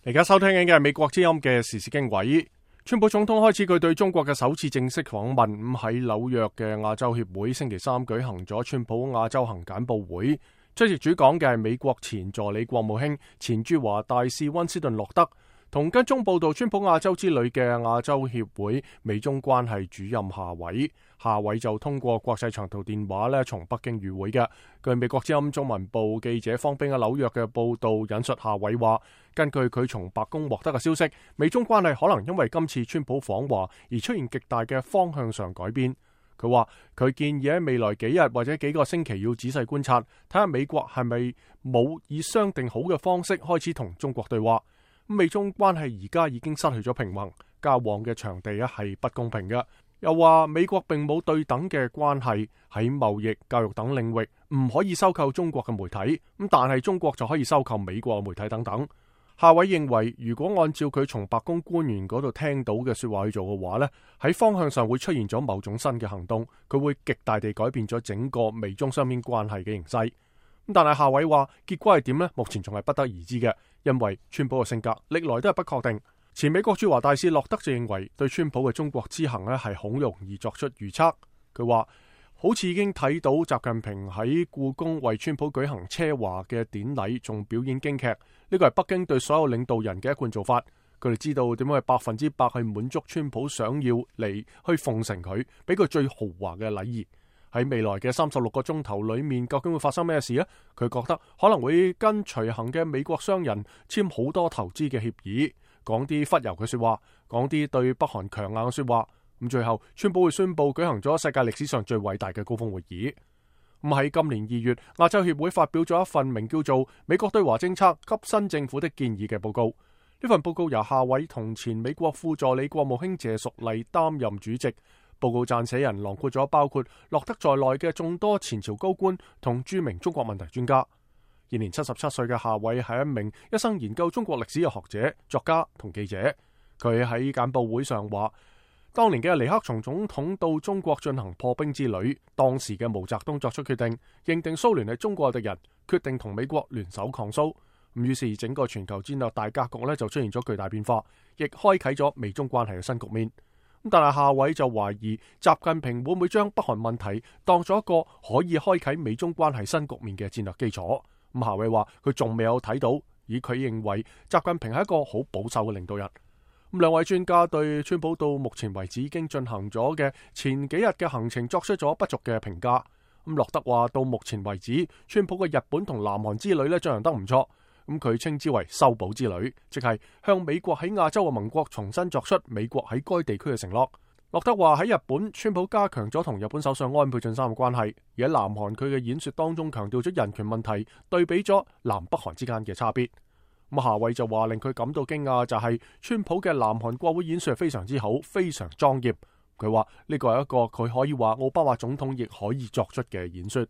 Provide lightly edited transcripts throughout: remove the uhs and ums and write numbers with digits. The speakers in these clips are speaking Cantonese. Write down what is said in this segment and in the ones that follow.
而家收聽緊嘅係美國之音嘅時事經緯。川普總統開始佢對中國嘅首次正式訪問，喺紐約嘅亞洲協會星期三舉行咗川普亞洲行簡報會。出席主講嘅係美國前助理國務卿、前駐華大使溫斯頓洛德，同跟蹤報道川普亞洲之旅嘅亞洲協會美中關係主任夏偉。夏偉就通過國際長途電話從北京與會嘅。據美國之音中文部記者方冰喺紐約嘅報道引述夏偉話，根據佢從白宮獲得嘅消息，美中關係可能因為今次川普訪華而出現極大嘅方向上改變。佢話佢建議喺未來幾日或者幾個星期要仔細觀察，睇下美國係咪冇以商定好嘅方式開始同中國對話。美中關係而家已經失去咗平衡，交往嘅場地係不公平嘅。又話美國並冇對等嘅關係，喺貿易、教育等領域唔可以收購中國嘅媒體，但係中國就可以收購美國嘅媒體等等。夏偉認為，如果按照佢從白宮官員嗰度聽到嘅說話去做嘅話呢，喺方向上會出現咗某種新嘅行動，佢會極大地改變咗整個美中雙邊關係嘅形勢。但係夏偉話結果係點呢？目前仲係不得而知嘅，因為川普嘅性格歷來都係不確定。前美國駐華大使洛德就認為，對川普嘅中國之行係好容易作出預測。佢話好似已經睇到習近平喺故宮為川普舉行車華嘅典禮，仲表演京劇。呢個係北京對所有領導人嘅一貫做法。佢哋知道點樣去100%去滿足川普想要嚟去奉承佢，俾佢最豪華嘅禮儀。喺未來嘅36個鐘頭裏面，究竟會發生咩事呢？佢覺得可能會跟隨行嘅美國商人簽好多投資嘅協議，講啲忽悠嘅說話，講啲對北韓強硬嘅說話。咁最後，川普會宣布舉行咗世界歷史上最偉大嘅高峰會議。咁喺今年2月，亞洲協會發表咗一份名叫做《美國對華政策給新政府的建議》嘅報告。呢份報告由夏偉同前美國副助理國務卿謝淑麗擔任主席。報告撰寫人囊括咗包括洛德在內嘅眾多前朝高官同著名中國問題專家。現年77歲嘅夏偉係一名一生研究中國歷史嘅學者、作家同記者。佢喺簡報會上話，當年嘅尼克松總統到中國進行破冰之旅，當時嘅毛澤東作出決定，認定蘇聯係中國嘅敵人，決定同美國聯手抗蘇。於是整個全球戰略大格局就出現咗巨大變化，亦開啟咗美中關係嘅新局面。但係夏偉就懷疑習近平會唔會將北韓問題當咗一個可以開啟美中關係新局面嘅戰略基礎。夏偉話佢仲未有睇到，而佢認為習近平係一個好保守嘅領導人。兩位專家對川普到目前為止已經進行咗嘅前幾日嘅行程作出咗不俗嘅評價。洛德話到目前為止，川普嘅日本同南韓之旅進行得唔錯。佢稱之為修補之旅，即係向美國喺亞洲嘅盟國重新作出美國喺該地區嘅承諾。洛德話喺日本，川普加強咗同日本首相安倍晉三嘅關係，而喺南韓佢嘅演說當中強調咗人權問題，對比咗南北韓之間嘅差別。夏偉就話令佢感到驚訝就係川普嘅南韓國會演說係非常之好，非常莊嚴。佢話呢個係一個佢可以話奧巴馬總統亦可以作出嘅演說。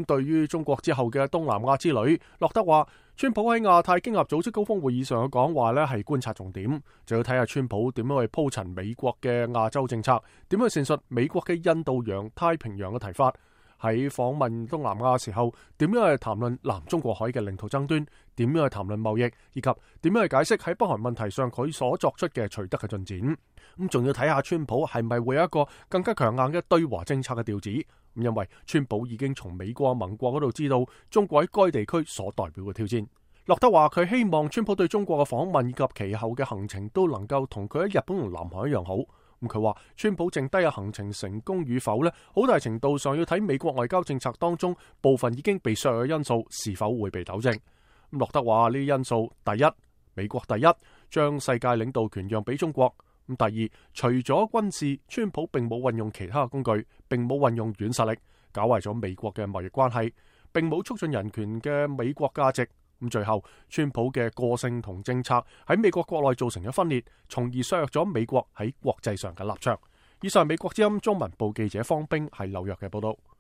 對於中國之後嘅東南亞之旅，洛德話川普喺亞太經合組織高峰會議上嘅講話係觀察重點，就要睇下川普點樣去鋪陳美國嘅亞洲政策，點樣去闡述美國嘅印度洋、太平洋嘅提法。喺訪問東南亞嘅時候，點樣去談論南中國海嘅領土爭端，點樣去談論貿易，以及點樣去解釋喺北韓問題上佢所作出嘅取得嘅進展。仲要睇下川普係咪會有一個更加強硬嘅對華政策嘅調子。因為川普已經從美國盟國嗰度知道中國喺該地區所代表嘅挑戰。洛德話佢希望川普對中國嘅訪問以及其後嘅行程都能夠同佢喺日本同南韓一樣好。佢話川普剩低嘅行程成功與否好大程度上要睇美國外交政策當中部分已經被削弱嘅因素是否會被糾正。洛德話呢啲因素，第一，美國第一，將世界領導權讓俾中國。第二，除咗軍事，川普並冇運用其他嘅工具，並冇運用軟實力，搞壞咗美國嘅貿易關係，並冇促進人權嘅美國價值。最後，川普嘅個性同政策喺美國國內造成咗分裂，從而削弱咗美國喺國際上嘅立場。以上美國之音中文部記者方冰喺紐約嘅報道。